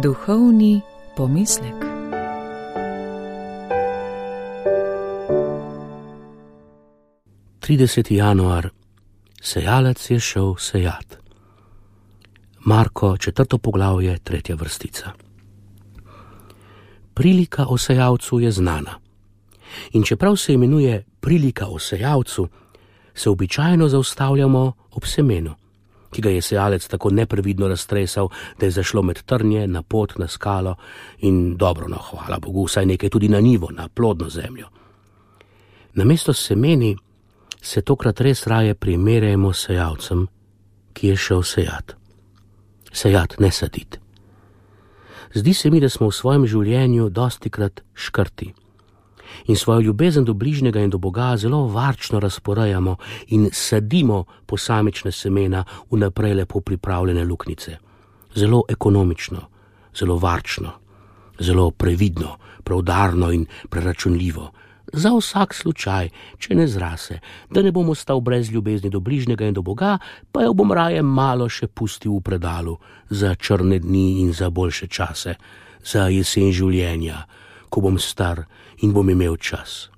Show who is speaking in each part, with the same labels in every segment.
Speaker 1: Duhovni pomislek.
Speaker 2: Januar. Sejalec je šel sejat. Marko, 4. poglavje, 3. vrstica. Prilika o sejalcu je znana. In čeprav se imenuje prilika o sejalcu, se običajno zaustavljamo ob semenu, ki ga je sejalec tako neprevidno raztresal, da je zašlo med trnje, na pot, na skalo in dobro, no, hvala Bogu, vsaj nekaj tudi na njivo, na plodno zemljo. Namesto semeni se tokrat res raje primerjamo s sejalcem, ki je šel sejat. Sejat, ne sadit. Zdi se mi, da smo v svojem življenju dostikrat škrti in svojo ljubezen do bližnjega in do Boga zelo varčno razporejamo in sadimo posamične semena v naprej lepo pripravljene luknjice. Zelo ekonomično, zelo varčno, zelo previdno, preudarno in preračunljivo. Za vsak slučaj, če ne zrase, da ne bom ostal brez ljubezni do bližnjega in do Boga, pa jo bom raje malo še pustil v predalu za črne dni in za boljše čase, za jesen življenja, ko bom star in bom imel čas.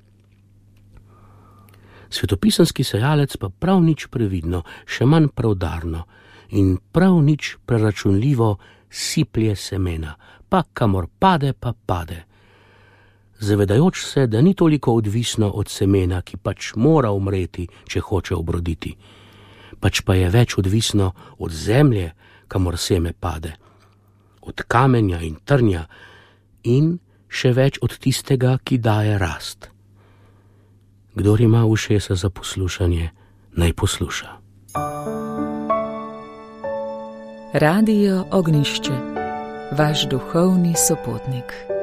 Speaker 2: Svetopisemski sejalec pa prav nič previdno, še manj preudarno in prav nič preračunljivo siplje semena, pa kamor pade, pa pade. Zavedajoč se, da ni toliko odvisno od semena, ki pač mora umreti, če hoče obroditi, pač pa je več odvisno od zemlje, kamor seme pade, od kamenja in trnja in še več od tistega, ki daje rast. Kdor ima ušesa za poslušanje, naj posluša.
Speaker 1: Radio Ognjišče, vaš duhovni sopotnik.